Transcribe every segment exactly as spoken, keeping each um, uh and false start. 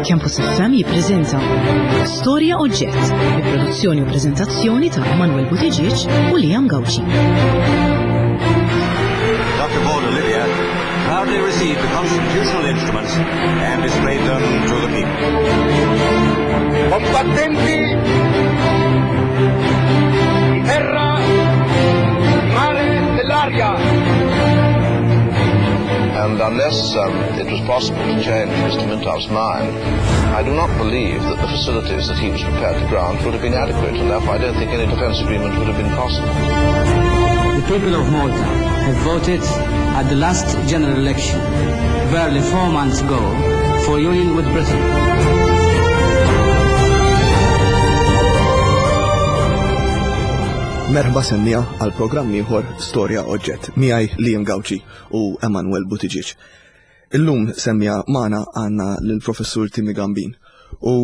Campus F M jippreżenta Storja Oġġett bi produzzjoni u preżentazzjoni ta' Emanuel Buttigieg u Liam Gauci. Doctor Paul Olivia proudly received the constitutional instruments and displayed them to the people. Combattenti di terra, di mare, dell'aria. And unless um, it was possible to change Mister Mintoff's mind, I do not believe that the facilities that he was prepared to grant would have been adequate, and therefore I don't think any defence agreement would have been possible. The people of Malta have voted at the last general election, barely four months ago, for union with Britain. Merħba semmiegħa għal programm ieħor Storja Oġġett miegħi Liam Gauci u Emanuel Buttigieg. Illum semmiegħa magħna għandna lill-Professur Timmy Gambin u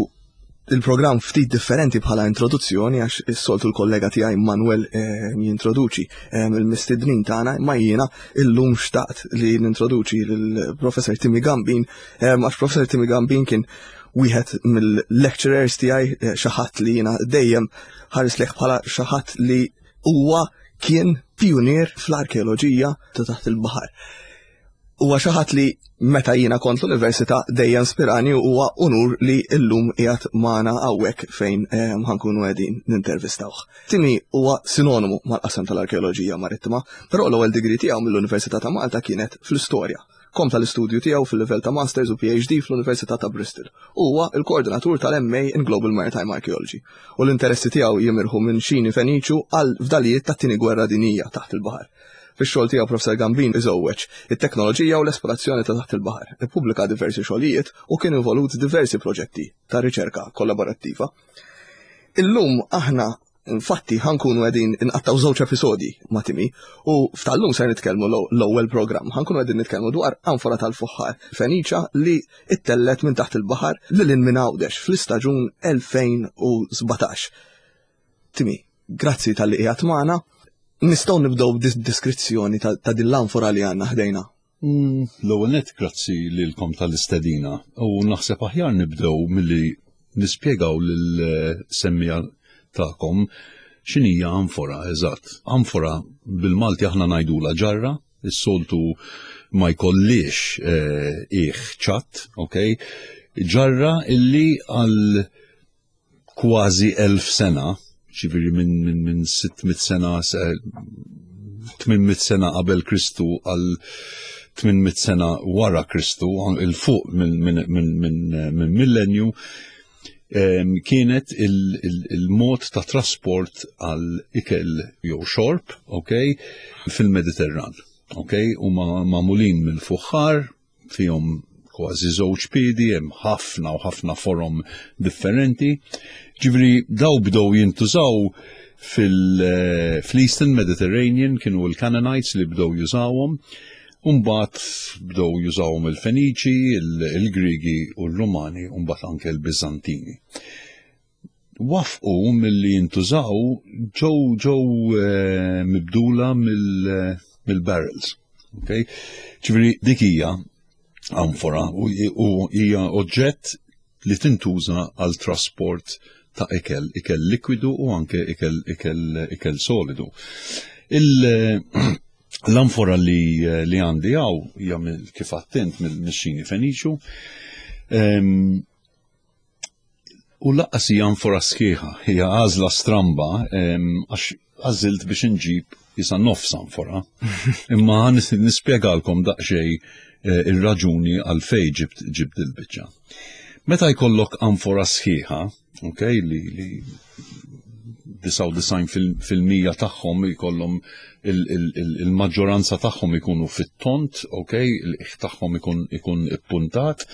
il-programm ftit differenti bħala introduzzjoni għax is-soltu l-kollega tiegħi Manuel eh, jintroduċi eh, il-mistednin tagħna, ma jiena illum xtaqt li nintroduċi lill-Professor Timmy Gambin eh, għax Professor Timmy Gambin kien wieħed mill-lecturers tiegħi, eh, xi ħadd li jiena dejjem ħares lejh bħala xi ħadd li huwa kien pionier fl-arkeoloġija ta' taħt il-baħar. Huwa xi ħadd li meta jiena kont l-università dejjem spirani u huwa unur li llum qiegħed magħna hawnhekk fejn, eh, ħankunu qegħdin nintervistawh. Timmy huwa sinonimu mal-qasam tal-arkeoloġija marittima, però l-ewwel degree tiegħu mill-Università ta' Malta kienet fl-istorja. Kompla l-istudju tiegħu fil-livell ta' Masters u P H D fl-Università ta' Bristol. Huwa il-koordinatur tal-M A in Global Maritime Archaeology. U l-interessi tiegħu jimirħu minn xini Feniċu għal fdalijiet tat-tieni gwerra dinjija taħt il-baħar. Fix-xogħol tiegħu Professor Gambin iżewweġ it-teknoloġija u l-esplorazzjoni ta' taħt il-baħar. Ippubblika diversi xogħlijiet u kien involut diversi proġetti ta' riċerka kollaborattiva. Illum aħna infatti ħankunu qegħdin inqattaw żewġ episodji ma' Timmy u f'tal-lum ser nitkellmu l-, l-ewwel programm. Ħankunu qegħdin nitkellmu dwar anfora tal-fuħħar Feniċa li ittellet minn taħt il-baħar lil hinn minn Għawdex fl-istaġun elfejn u sbatax. Timmy, grazzi tal-li qiegħed magħna. Nistgħu nibdew b'diskrizzjoni ta', ta' din l-anfora li għandna ħdejna. Mm, l-ewwel nett grazzi lilkom tal-istedina u naħseb aħjar nibdew milli nispjegaw lil-semmiegħa tagħkom x'inhija anfora eżatt. Anfora bil-Malti aħna ngħidula ġarra, is-soltu ma jkollix, eh, qiegħ ċatt, ok? Ġarra illi għal kważi elf sena, ġifieri minn, minn, minn sitt mitt sena, se-, tmien mitt sena qabel Kristu għal tmien mitt sena wara Kristu, il fuq minn, minn, minn, minn, minn millenju, em, kienet il-, il-, il-mod ta' trasport għal ikel jew xorb, ok, fil-Mediterran, ok, u ma-, magħmulin mill-fuħħar, fihom kważi żewġ piedi, hemm ħafna u ħafna forom differenti. Ġifieri daw bdew jintużaw fil-, eh, fl-Eastern Mediterranean, kienu l-Canaanites li bdew jużawhom, u mbagħad bdew jużawhom il-Feniċi, il-, il-Grigi u l-Rumani, u mbagħad anke l-Biżantini. Wafqu milli jintużaw ġew, ġew, eh, mibdula mill-, mill-barrels. Okay? Ġifieri dik hija anfora u, u hija oġġett li tintuża għal trasport ta' ikel, ikel likwidu u anke ikel, ikel, ikel solidu. Il-, L-anfora li, li għandi hawn hija mill-, kif attent mill-xini Feniċu. Em, u lanqas hija anfora sħiħa, hija għażla stramba, em, għax għażilt biex inġib jisa nofs anfora. Imma nis-, nispjegalkom daqsxejn, eh, ir-raġuni għalfejn ġibt, ġibt il-biċċa. Meta jkollok anfora sħiħa, ok, li, li disgħa u disgħin fil-, fil-mija tagħhom jkollhom il-, il-, il-, il-maġġoranza tagħhom ikunu fit-tont, ok, il-qiegħ tagħhom ikun, ikun ippuntat,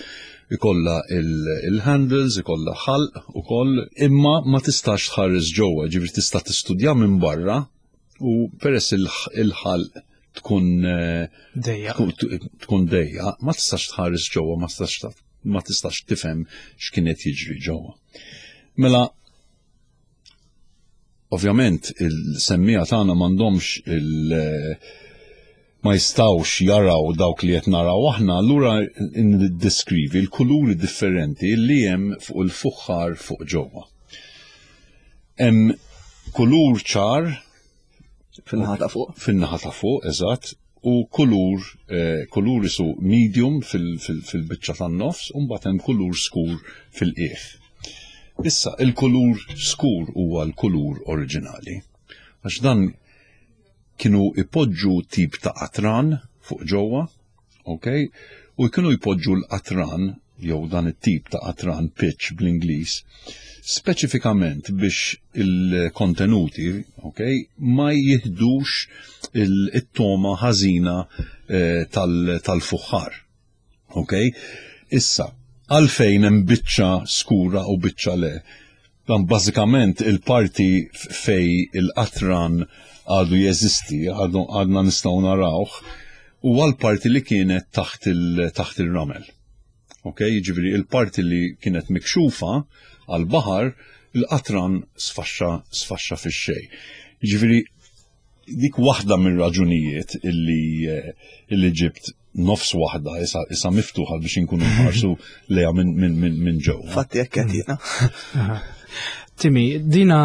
ikollha il-, il-handles, ikollha ħalq ukoll, imma ma tistax tħares ġewwa, ġifieri tista' tistudja minn barra u peress il-, il-ħalq tkun, eh, Dejja. tkun, tkun dejja, ma tistax tħares ġewwa, ma tistax ta-, ma tistax tifhem x'kien qed jiġri ġewwa. Mela, ovvjament il-semmiegħa tagħna m'għandhomx il-, Ma jistawx jaraw dawk li qed naraw aħna, allura niddeskrivi l-kuluri differenti li hemm fuq il-fuħħar fuq ġewwa. Hemm kulur ċar fin-naħa ta' fuq. Fin-naħa ta' fuq, eżatt, u kulur eh, kulur isu medium fil-biċċa tan-nofs u mbagħad hemm kulur skur fil-qiegħ. Issa, il-kulur skur huwa l-kulur oriġinali. Għax dan kienu ipoġġu tip ta' qatran fuq ġewwa, ok? U kienu jpoġġu l-qatran, jew dan it-tip ta' qatran, pitch bl-Ingliż, speċifikament biex il-kontenuti, ok, ma jihdux it-toma ħażina eh, tal-fuħħar. Ok? Issa, għalfejn hemm biċċa skura u biċċa le? Dan bażikament il-parti fej il-qatran għadu jeżisti, għadna nistgħu narawh, u għal-parti li kienet taħt il-ramel. Ok, jiġifieri il-parti li kienet mikxufa għal-baħar, il-qatran sfaxxa sfaxxa fix-xejn. Jiġifieri dik waħda mir-raġunijiet illi illi ġibt nofs waħda issa issa miftuħa biex inkunu nħarsu lejha minn min, min, min ġewwa. Fatti hekk qed jiena. Timi, dina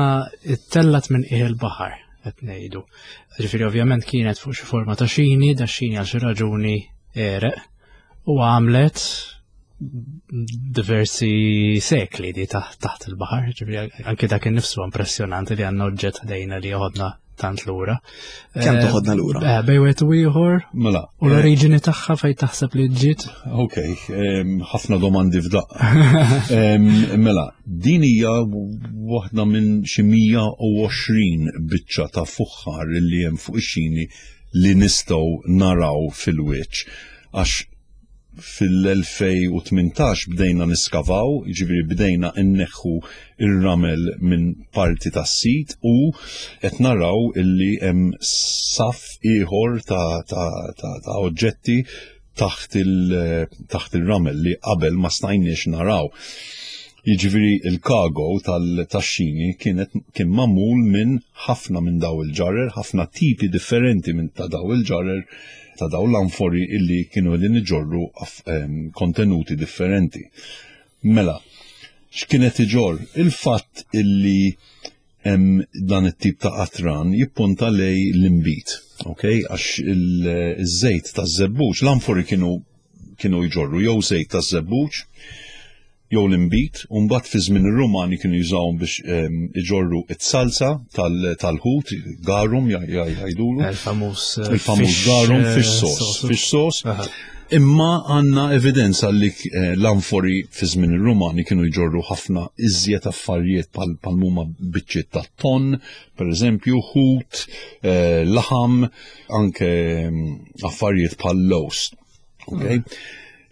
ttellat minn qiegħ il-baħar qed ngħidu. Ġifieri ovvjament kienet fuq xi forma ta' xini, da xini għal xi raġuni għereq u għamlet diversi sekli di taħt il-baħar, ġifieri anke dak innifsu impressjonanti li għandna oġġett ħdejna li joħodna tant lura. Kemm toħodna lura? Eh, bejn wieħed u ieħor. Mela. U l-oriġini tagħha fejn taħseb li ġiet? Ok, ħafna domandi f'daqqa. Mela, din hija waħda minn xi mija u għoxrin biċċa ta' fuħħar li hemm fuq ix-xini li nistgħu naraw fil-wiċċ. Għax fil-elfejn u tmintax bdejna niskavaw, jiġifieri bdejna inneħħu ir-ramel minn parti tas-sit u qed naraw illi hemm saff ieħor ta', ta, ta, ta' oġġetti taħt il, taħt il-ramel li qabel ma stajniex naraw. Jiġifieri il-cargo tal-taxxini kienet kien magħmul minn ħafna minn daw il-ġarer, ħafna tipi differenti minn ta' daw il-ġarer, ta' daw l-anfori illi kienu qegħdin iġorru kontenuti differenti. Mela, x'kienet iġorr? Il-fatt illi hemm dan it-tip ta' qatran jippunta lej l-imbit, ok? Għax il-żejt taż-żebbuġ, l-anfori kienu kienu jġorru jew żejt taż-żebbuġ, jew l-imbit, u mbagħad fi żmien ir-Rumani kienu jużawhom biex iġorru it-salsa tal-ħut, garum jgħidulu. Il-famuż Il-famuż garum, fish sauce, fish sauce. Imma għandna evidenza li l-anfori fi żmien ir-Rumani kienu jġorru ħafna iżjed affarijiet bħal huma biċċiet ta' ton, per eżempju, ħut, laħam, anke affarijiet bħal lows. Okay?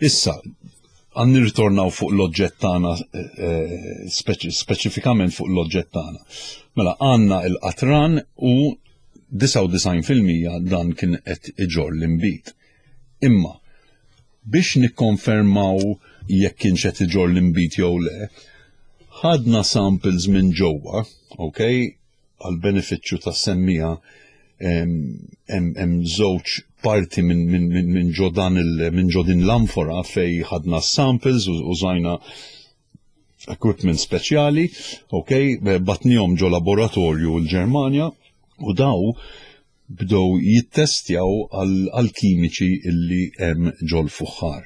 Issa, għan nirritornaw fuq l-oġġett tagħna, speċifikament fuq l-oġġett tagħna. Mela għandna il-qatran u disgħa u disgħin fil-mija dan kien qed iġorr l-imbit. Imma biex nikkonfermaw jekk kienx qed iġorr l-imbit jew le, ħadna samples minn ġewwa, ok, għal benefiċċju tas-semmija hemm żewġ parti minn min, min, min ġo dan il, minn ġo din l-amfora fej ħadna samples u użajna equipment speċjali, ok, batnihom ġo laboratorju l-Ġermanja u daw bdew jittestjaw għal kimiċi illi hemm ġol fuħħar.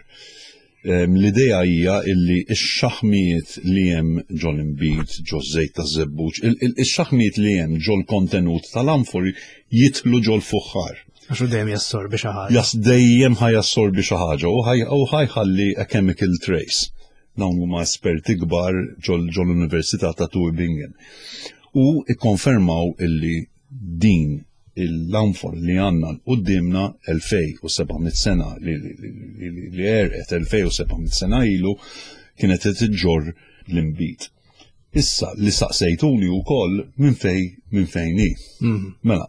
L-idea hija illi x-xaħmijiet li hemm ġol imbit, ġo żejt ta' żebbuġ, ix-xaħmijiet li hemm ġol kontenut tal-amfori jitlu ġol fuħħar. Għax u dejjem jassorbi xi ħaġa. Jas dejjem ħa jassorbi xi ħaġa u ħajħalli a chemical trace. Dawn huma esperti kbar ġol ġol-Università ta' Tübingen. U ikkonfermaw illi din l-amfor li għandna qudiemna elfejn u seba' mitt sena li, li, li, li, li għerqet elfejn u seba' mitt sena ilu kienet qed iġġorr l-imbit. Issa li saqsejtuni wkoll minn fej, minn fejn hi. Mhm. Mela,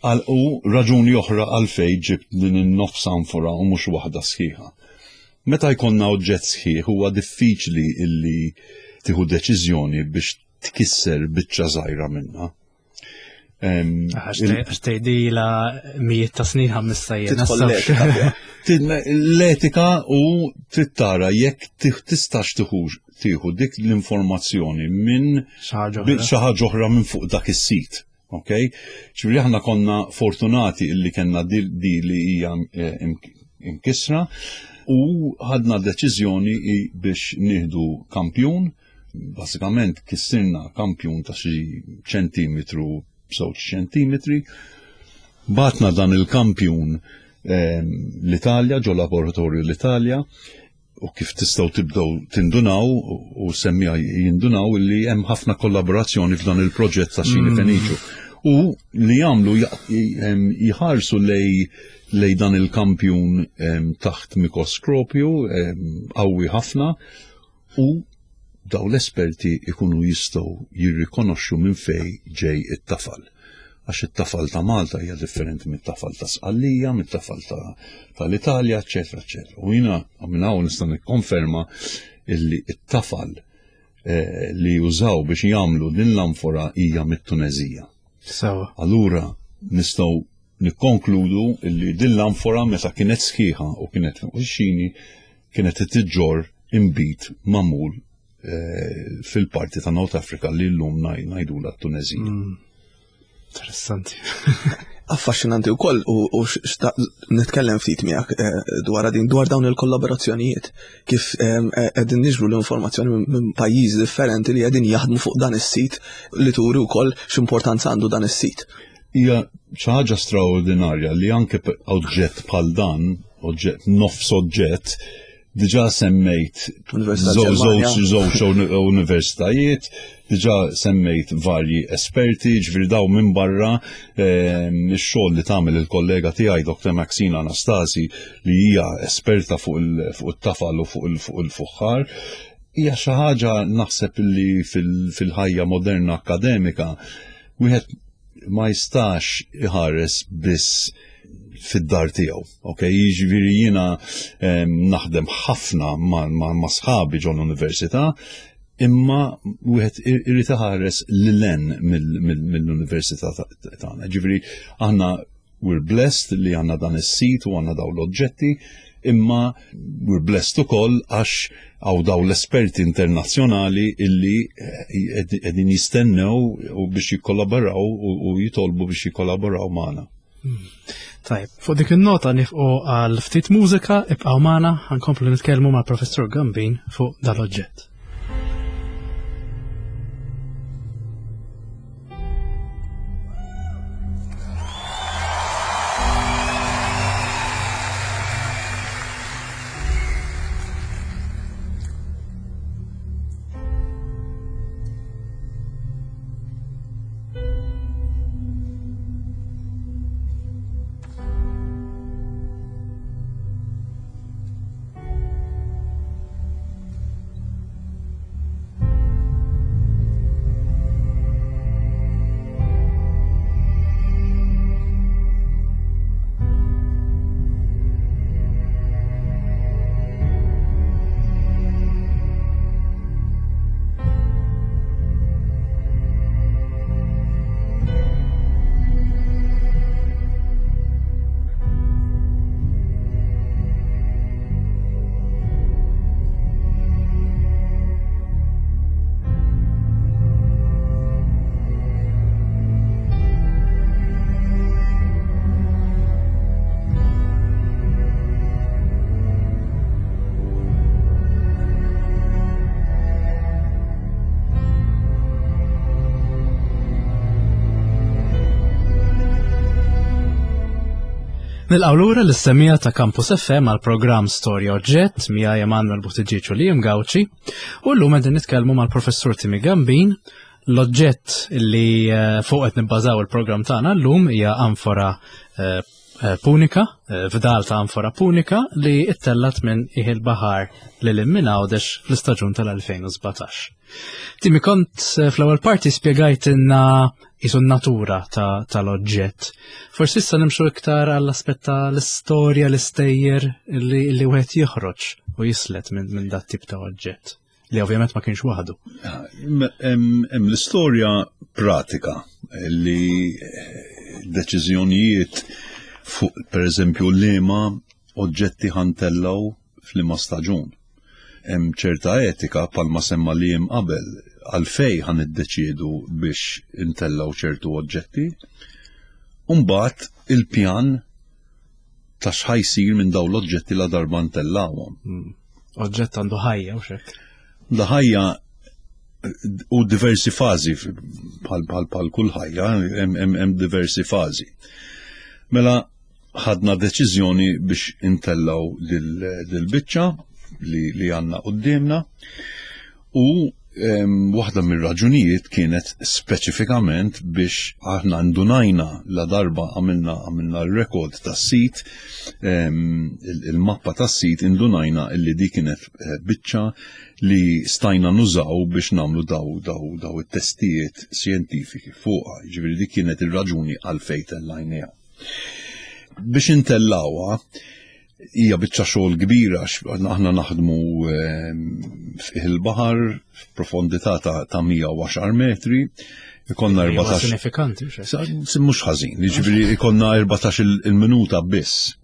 għal u raġuni oħra għalfej ġibt din in-nofs amfora u mhux waħda sħiħa. Meta jkollna oġġett sħiħ huwa diffiċli illi tieħu deċiżjoni biex tkisser biċċa żgħira minnha. Għax tgħidilha mijiet ta' snin ħamissa jien. L-etika u trid tara jekk tistax tieħu dik l-informazzjoni minn xi ħaġa oħra minn fuq dak is-sit. Ok? Ġifieri aħna konna fortunati illi kellna di li hija imkisra u ħadna deċiżjoni biex nieħdu kampjun. Basikament kissirna kampjun ta' xi ċentimetru b'żewġ ċentimetri. Batna dan il-kampjun l-Italja, ġo laboratorju l-Italja, u kif tistgħu tibdew tindunaw u semmija jindunaw li hemm ħafna kollaborazzjoni f'dan il-proġett ta' Xini Feniċu. U li jagħmlu jħarsu lej lej dan il-kampjun taħt mikroskopju qawwi ħafna u daw l-esperti ikunu jistgħu jirrikonoxxu minn fej ġej it-tafal. Għax it-tafal ta' Malta hija differenti mit-tafal ta' Sqallija, mit-tafal tal-Italja, eċetera, eċetera. U jiena minn hawn nista' nikkonferma illi it-tafal li jużaw biex jagħmlu din l-anfora hija mit-Tunezija. Sewa. Allura nistgħu nikkonkludu illi din l-anfora meta kienet sħiħa u kienet fuq ix-xini kienet tiġġor inbid magħmul fil-parti ta' North Africa li l-lum ngħidula t-Tunezija. Interessanti. Affaxxinanti wkoll u nitkellem ftit miegħek dwar din dwar dawn il-kollaborazzjonijiet kif qegħdin niġbru l-informazzjoni minn pajjiżi differenti li qegħdin jaħdmu fuq dan is-sit li turi wkoll x'importanza għandu dan is-sit. Hija xi ħaġa straordinarja li anke oġġett bħal dan, oġġett nofs oġġett, diġà semmejt żewġ universitajiet, diġà semmejt varji esperti, ġifieri daw minn barra ix-xogħol li tagħmel il-kollega tiegħi Doktor Maxina Anastasi li hija esperta fuq it-tafal u fuq il-fuħħar. Hija xi ħaġa naħseb li fil-ħajja moderna akademika wieħed ma jistax iħares biss fid-dar tiegħu. Ok, jiġifieri jiena naħdem ħafna ma' sħabi ġol università, imma wieħed irid iħares lil hemm mill-università tagħna. Ġifieri aħna we're blessed li għandna dan is-sit u għandna dawn l-oġġetti, imma we're blessed ukoll għax għaw daw l-esperti internazzjonali illi qegħdin jistennew u biex jikkollaboraw u jitolbu biex jikkollaboraw magħna. Tajb, fuq dik in-nota nifqu għal ftit mużika, ibqgħu magħna, ħankomplu nitkellmu mal-Professur Gambin fuq dal-oġġett. Nilqgħu lura l-issemija ta' Campus F M għal programm Storja Oġġett miegħi Emanuel Buttigieg u Liam Gauci, u llum qegħdin nitkellmu mal-Professur Timmy Gambin. L-oġġett li fuq qed nibbażaw il-programm tagħna llum hija anfora punika, fdal ta' anfora punika li ittellat minn qiegħ il-baħar lil minn Għawdex fl-istaġun tal-elfejn u sbatax. Timmy, kont fl-ewwel parti spjegajtilna jisu n-natura tal-oġġett. Forsi issa nimxu iktar għall-aspett tal-istorja, l-istejjer li, li wieħed joħroġ u jislet minn min dat tip ta' oġġett, li ovvjament ma kienx waħdu. Hemm l-istorja pratika, Li eh, deċiżjonijiet fuq, per eżempju, liema oġġetti ħa ntellgħu f'liema staġun. Hemm ċerta etika, bħalma semma li hemm qabel, għalfejn ħa niddeċiedu biex intellgħu ċertu oġġetti. Umbagħad il-pjan ta' x'ħa jsir minn dawn l-oġġetti la darba ntellgħuhom. Oġġett għandu ħajja u xek. Da ħajja u diversi fażi, bħal bħal bħal kull ħajja hemm hemm hemm diversi fażi. Mela ħadna deċiżjoni biex intellgħu dil-biċċa li, li għandna quddiemna u em, waħda mir-raġunijiet kienet speċifikament biex aħna ndunajna la darba għamilna għamilna l-rekord tas-sit, em, il- il-mappa tas-sit, indunajna illi di kienet eh, biċċa li stajna nużaw biex nagħmlu daw daw daw it-testijiet xjentifiki fuqha. Ġifieri dik kienet ir-raġuni għalfejn tellajniha. Biex intellgħuha hija biċċa xogħol kbira għax aħna naħdmu ehm, fil-baħar f'profondità ta' ta' mija u għaxar metri, ikollna Huwa erbatax sinifikanti u xek. Sa- Mhux ħażin, jiġifieri ikollna erbatax il-minuta biss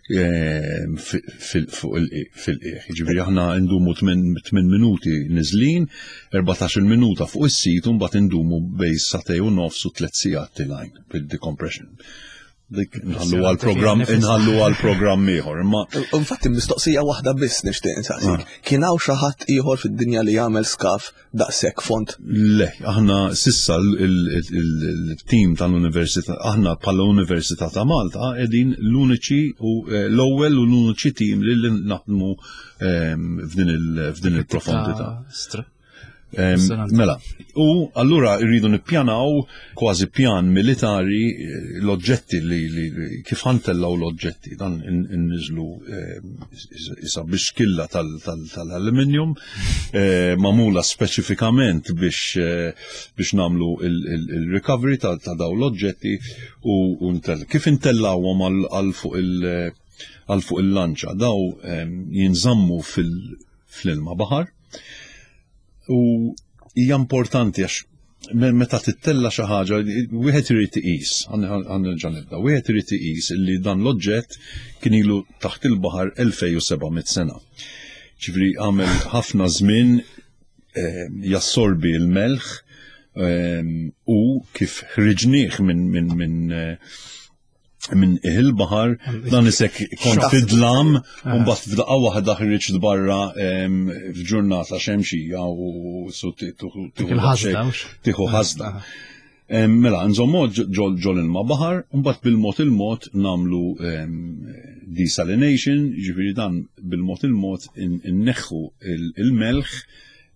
ehm, fi- fil- fuq il- fil-qiegħ. Jiġifieri aħna ndumu tmien minuti niżlin, erbatax il-minuta fuq is-sit u mbagħad indumu bejn sagħtejn u nofs u tliet sigħat telgħin bil-decompression. Dik nħallu għal-programm inħallu għal-programm ieħor, imma Infatti mistoqsija waħda biss nixtieq insaqsik. Kien hawn xi ħadd ieħor fid-dinja li jagħmel skaf daqshekk fond? Le, aħna s'issa il-tim tal-Università, aħna bħala Università ta' Malta qegħdin l-uniċi u eh, l-ewwel u l-uniċi tim li li naħdmu ehm, f'din il- f'din il-profondità. Stra. Em, Impressionanti. Mela, u allura rridu nippjanaw kważi pjan militari eh, l-oġġetti li, li, li kif ħa ntellgħu l-oġġetti, dan inniżlu isa bixkilla tal-aluminium eh, magħmula speċifikament biex eh, biex nagħmlu il-recovery ta' ta' daw l-oġġetti u u ntell. Kif intellgħuhom għal għal fuq il- għal fuq il-lanċa, daw em, jinżammu fil- fl-ilma baħar u hija importanti għax me- meta tittella xi ħaġa wieħed irid iqis, ħa nerġa' nibda, wieħed irid iqis li dan l-oġġett kien ilu taħt il-baħar elfejn u seba' mitt sena. Ġifieri għamel ħafna żmien eh, jassorbi l-melħ eh, u kif ħriġnieh minn minn minn eh, minn il-baħar, dan isek kont fid-dlam u mbagħad f'daqqa waħda ħriġt barra em, f'ġurnata xemxija u su Dik il-ħasda, hux? tieħu ħasda. Em, Mela, nżommu ġol ġol ilma baħar, u mbagħad bil-mod il-mod nagħmlu em, desalination, ġifieri dan bil-mod il-mod in- inneħħu il- il-melħ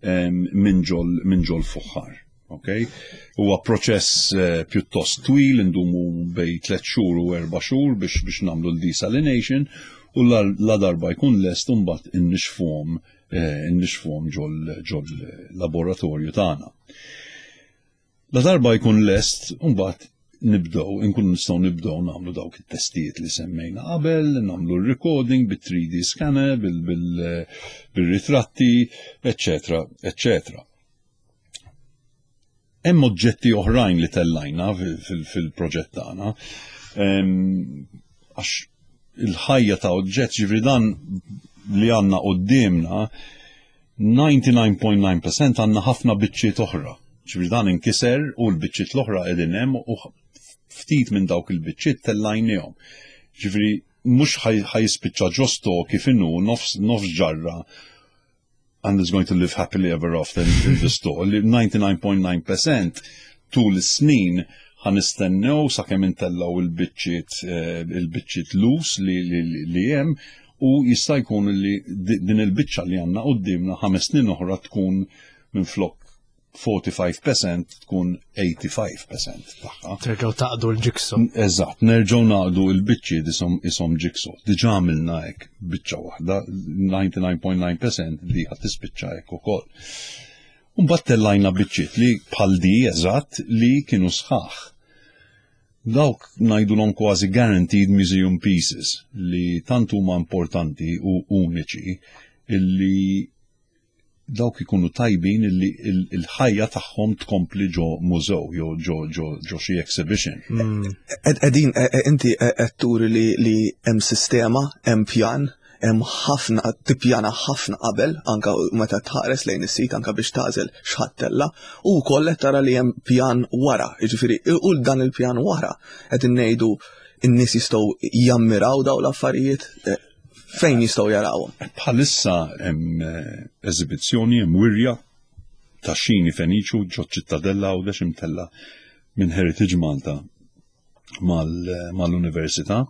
em, minn ġol minn ġol fuħħar. Okay? Huwa proċess eh, pjuttost twil, indumu bejn tliet xhur u erba' xhur biex biex nagħmlu l-desalination u la, la darba jkun lest mbagħad innixfuhom eh, innixfuhom ġol ġol laboratorju tagħna. La darba jkun lest, mbagħad nibdew, inkun nistgħu nibdew nagħmlu dawk it-testijiet li semmejna qabel, nagħmlu r-recording bit-three D scanner, bil-ritratti, eccetera, eccetera. Hemm oġġetti oħrajn li tellajna fil-proġett tagħna. Għax il-ħajja ta' oġġett, ġifieri dan li għandna quddiemna, disgħa u disgħin punt disgħa fil-mija għandna ħafna biċċiet oħra. Ġifieri dan inkiser u l-biċċiet l-oħra qegħdin hemm u ftit minn dawk il-biċċiet tellajnihom. Ġifieri mhux ħa jispiċċa ġo store kif inhu nofs nofs ġarra and is going to live happily ever after in the store. Li disgħa u disgħin punt disgħa fil-mija tul is-snin ħa nistennew sakemm intellgħu il-biċċiet eh, il-biċċiet lus li, li, li hemm u jista' jkun li din il-biċċa li għandna quddiemna ħames snin oħra tkun minn flok erbgħa u ħamsin fil-mija tkun tmenin fil-mija tagħha. Terġgħu tgħaqqdu l-jigsaw. Eżatt, nerġgħu ngħaqqdu l-biċċi isom isom jigsaw. Diġà għamilna hekk biċċa waħda, disgħa u disgħin punt disgħa fil-mija di ħadd tispiċċa hekk ukoll. Mbagħad tellajna biċċiet li bħal di eżatt li kienu sħaħ. Dawk ngħidulhom kważi guaranteed museum pieces li tant huma importanti u uniċi illi Dawk ikunu tajbin illi il-ħajja tagħhom tkompli ġo mużew jew ġo ġo ġo xi exhibition. Edin, inti qed turi li li hemm sistema, hemm pjan, hemm ħafna tippjana ħafna qabel anka meta tħares lejn is-sit anka biex tagħżel x'ħa ttella' u wkoll qed tara li hemm pjan wara, jiġifieri u dan il-pjan wara qed ngħidu n-nies jistgħu jammiraw daw l-affarijiet eh, fejn jistgħu jarawhom. Bħalissa hemm eh, eżibizzjoni, hemm wirja ta' xini Feniċu ġo Ċittadella Għawdex imtella minn Heritage Malta mal-Università.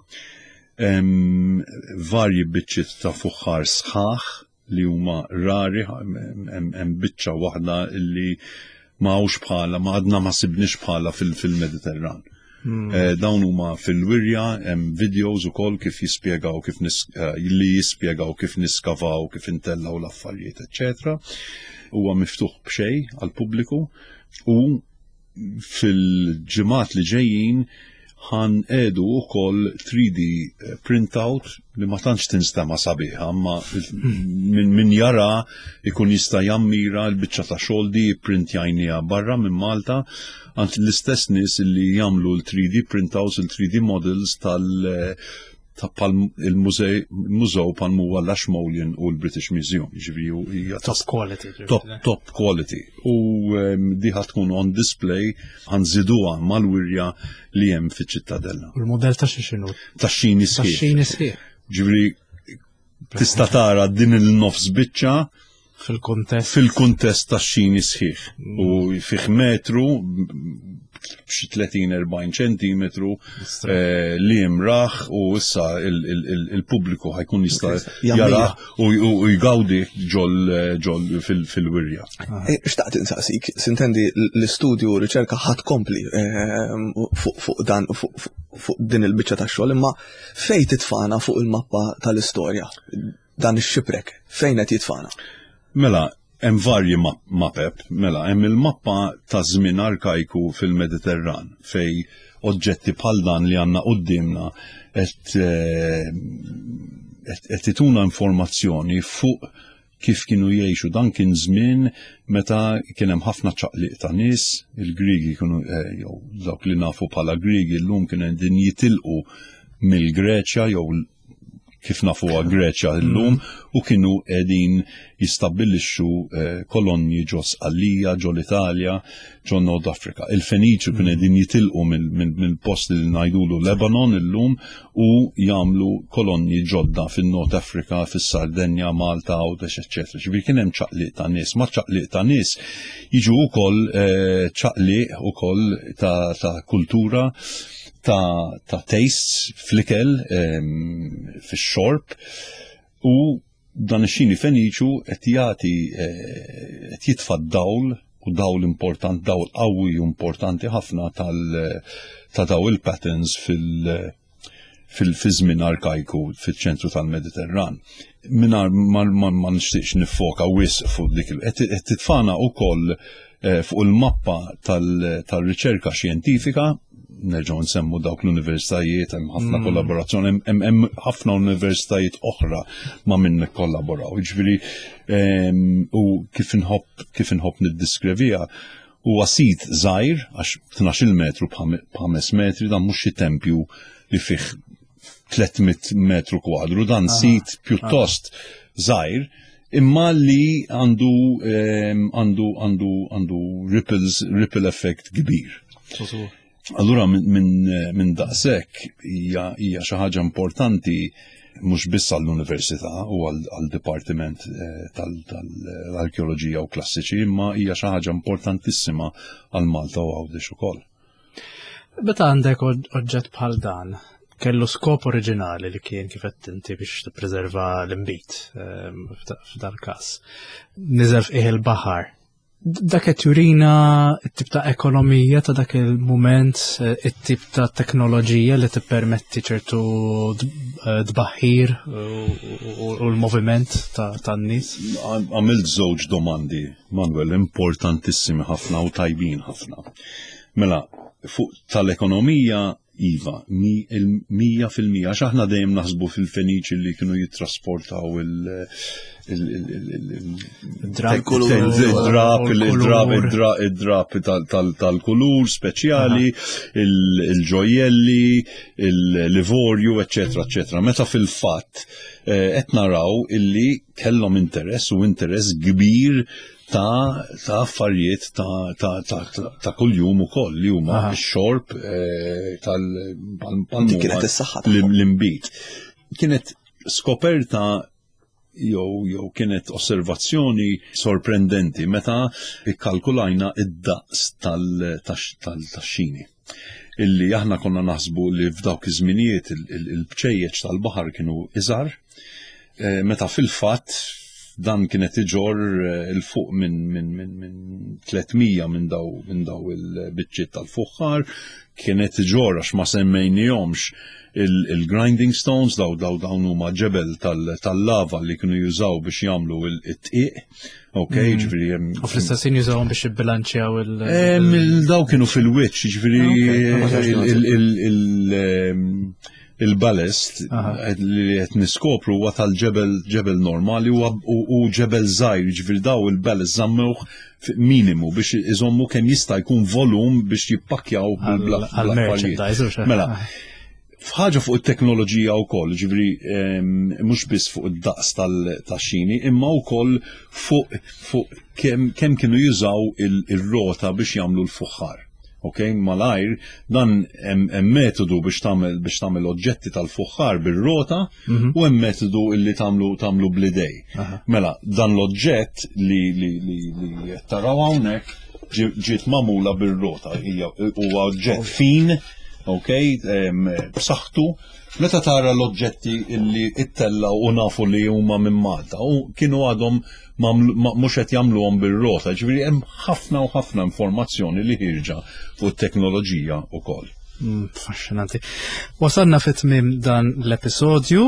Hemm varji biċċiet ta' fuħħar sħaħ li huma rari, hemm biċċa waħda li ma hawnx bħala, ma għadna ma sibniex bħala fil-Mediterran. Hmm. Eh, dawn huma fil-wirja, hemm videos ukoll kif jispjegaw kif eh, li jispjegaw kif niskavaw, kif intellaw l-affarijiet, eċċetera. Huwa miftuħ b'xejn għall-pubbliku u fil-ġimgħat li ġejjin ħa nqiegħdu ukoll three D printout li ma tantx tinstema sabiħa, ma min, min jara ikun jista' jammira l-biċċa ta' xogħol di printjajnija barra minn Malta għand l-istess nies li jagħmlu l-three D printouts, il-three D models tal- ta' il-mużew bħal huwa l-Ashmolean u l-British Museum. Ġifieri top quality. Top, top quality. U di ħa tkun on display, ħa nżiduha mal-wirja li hemm fiċ-Ċittadella. U l-modell ta' xinu? Ta' xini sħiħ. Ta' xini sħiħ. Ġifieri tista' tara din il-nofs biċċa fil-kontest fil-kuntest ta' xini sħiħ. U fih metru b'xi tletin erbgħin ċentimetru eh, li jimraħ u issa il-pubbliku ħa jkun jista' jara u jgawdi ġol ġol fil-wirja. Eh, xtaqt insaqsik, sintendi l-istudju u riċerka ħa tkompli eh, fuq dan fuq din il-biċċa ta' xogħol, imma fejn titfana fuq il-mappa tal-istorja dan ix-shipwreck, fejn qed jitfana? Mela, hemm varji mapep, mela, hemm il-mappa ta' żmien arkajku fil-Mediterran fej oġġetti bħal dan li għandna qudiemna qed eh, qed ituna informazzjoni fuq kif kienu jgħixu. Dan kien żmien meta kien hemm ħafna ċaqliq ta' nies, il-Grigi kienu eh, jew dawk li nafu bħala Grigi llum kienu qegħdin jitilqu mill-Greċja jew kif nafuha Greċja llum u kienu qegħdin jistabbilixxu eh, kolonji ġo Sqallija, ġo l-Italja, ġo Nord Afrika. Il-Feniċu kienu qegħdin jitilqu mill-post li ngħidulu Lebanon illum u jagħmlu kolonji ġodda fin-Nord Afrika, fis-Sardenja, Malta, Għawdex, eċċetera. Ġifieri kien hemm ċaqliq ta' nies, ma' ċaqliq ta' nies jiġu wkoll eh, ċaqliq ukoll ta' kultura, ta', ta tastes fl-ikel, fix-xorb, u dan ix-xini Feniċu qed jagħti eh, qed jitfa' dawl u dawl important, dawl qawwi u importanti ħafna tal ta' daw il-patterns fil- fil-żmien arkajku fil-ċentru tal-Mediterran. Mingħajr ma, ma, ma nixtieqx nifoka wisq fuq dik il- qed qed titfana wkoll eh, fuq il-mappa tal-riċerka xjentifika, nerġgħu nsemmu dawk l-universitajiet, hemm ħafna mm. kollaborazzjoni, hemm hemm ħafna universitajiet oħra ma' min nikkollaboraw. Jiġifieri u kif inħobb kif inħobb niddiskrivija huwa sit żgħir għax tnax-il metru b'ħames metri, dan mhux xi tempju li fih tliet mitt metru kwadru, dan sit pjuttost żgħir imma li għandu għandu għandu għandu ripples ripple effect kbir. Allura minn min, min daqshekk hija hija xi ħaġa importanti mhux biss għall-università u għall-dipartiment eh, tal-arkeoloġija u klassiċi, imma hija xi ħaġa importantissima għal Malta u Għawdex ukoll. Meta għandek oġġett bħal dan, kellu skop oriġinali li kien kif qed inti biex tippreserva l-inbid ehm, f'dal każ. Niżel f'qiegħ il-baħar. Dak qed jurina t-tip ta' ekonomija ta' dak il-mument, it-tip ta' teknoloġija li tippermetti ċertu tbaħħir u l-moviment tan-nies. Għamilt żewġ domandi, Manuel, importantissimi ħafna u tajbin ħafna. Mela, fuq tal-ekonomija, iva, mija fil-mija, għax aħna dejjem naħsbu fil-Feniċi li kienu jittrasportaw Il-drap, il-drap, il-drap tal-kulur speċjali, il-ġojjelli, il-livorju, eccetera, eccetera. Meta fil-fatt qed naraw illi kellhom interess u interess kbir ta' ta' affarijiet ta' ta' ta' ta' kuljum ukoll li huma x-xorb tal-palmu. Kienet is-saħħa l-imbit. Kienet skoperta jew jew kienet osservazzjoni sorprendenti meta ikkalkulajna id-daqs tal-tax-xini. Illi aħna konna naħsbu li f'dawk iż-żminijiet il-bċejjeċ tal-baħar kienu iżgħar, meta fil-fatt dan kienet iġor il-fuq minn min, min, min tliet mija minn daw minn daw il-biċċiet tal-fuħħar, kienet iġor għax ma semmejnihomx il-grinding stones, daw daw dawn huma ġebel tal-lava li kienu jużaw biex jagħmlu it-tqiq. Ok, ġifieri hemm. U fl-istess ħin jużawhom biex jibbilanċjaw il- Daw kienu fil-wiċċ, ġifieri il-ballast li qed niskopru huwa tal-ġebel ġebel normali u ġebel żgħir, ġifieri daw il-ballast żammewh minimu biex iżommu kemm jista' jkun volum biex jippakkjaw bil-merchandise. Mela, f'ħaġa fuq it-teknoloġija wkoll, ġifieri mhux biss fuq id-daqs tax-xini, imma wkoll fuq fuq kemm kienu jużaw il-rota biex jagħmlu l-fuħħar. Ok, malajr, dan hemm metodu biex tagħmel biex tagħmel oġġetti tal-fuħħar bir-rota u hemm metodu illi tagħmlu tagħmlu bl-idej. Mela, dan l-oġġett li li li taraw hawnhekk ġiet magħmula bir-rota, hija huwa oġġett fin, ok, b'saħħtu. Meta tara l-oġġetti illi ittella u nafu li huma minn Malta u kienu għadhom mhux qed jagħmluhom bir-rota, ġifieri hemm ħafna u ħafna informazzjoni li ħirġa fuq it-teknoloġija wkoll. Affaxxinanti. Wasalna fit-tmiem dan l-episodju,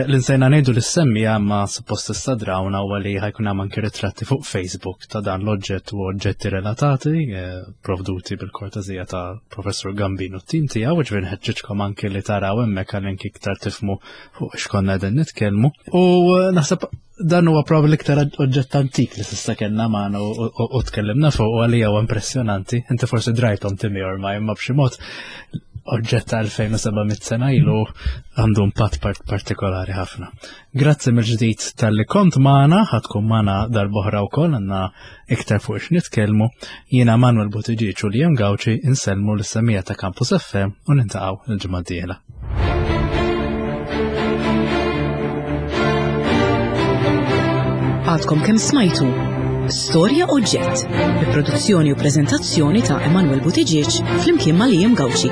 l-insejna ngħidu li semmija ma suppost istadrawna huwa li ħajkun hemm anke ritratti fuq Facebook ta' dan l-oġġett u oġġetti relatati provduti bil-kortezija ta' Professur Gambin u t-tim tiegħu, ġifieri nħeġġiġkom anke li taraw hemmhekk għal anke iktar tifhmu fuq x'konna qegħdin nitkellmu. U naħseb dan huwa probabbli l-iktar oġġett antik li s'issa kellna magħna u tkellimna fuq u għalija huwa impressjonanti. Inti forsi drajthom Timmy ormai, imma b'xi mod oġġett ta' elfejn u seba' mitt sena ilu għandu impatt partikolari ħafna. Grazzi mill-ġdid tal-li kont magħna, ħadkun magħna darb'oħra wkoll għandna iktar fuq x'nitkellmu. Jiena Manuel Buttigieg u Liam Gauci insellmu lis-semija ta' Campus F M u nintaqgħu l-ġimgħa d-dieħla. Għadkom kemm smajtu Storja Oġġett bi produzzjoni u preżentazzjoni ta' Emanuel Buttigieg flimkien ma' Liam Gauci.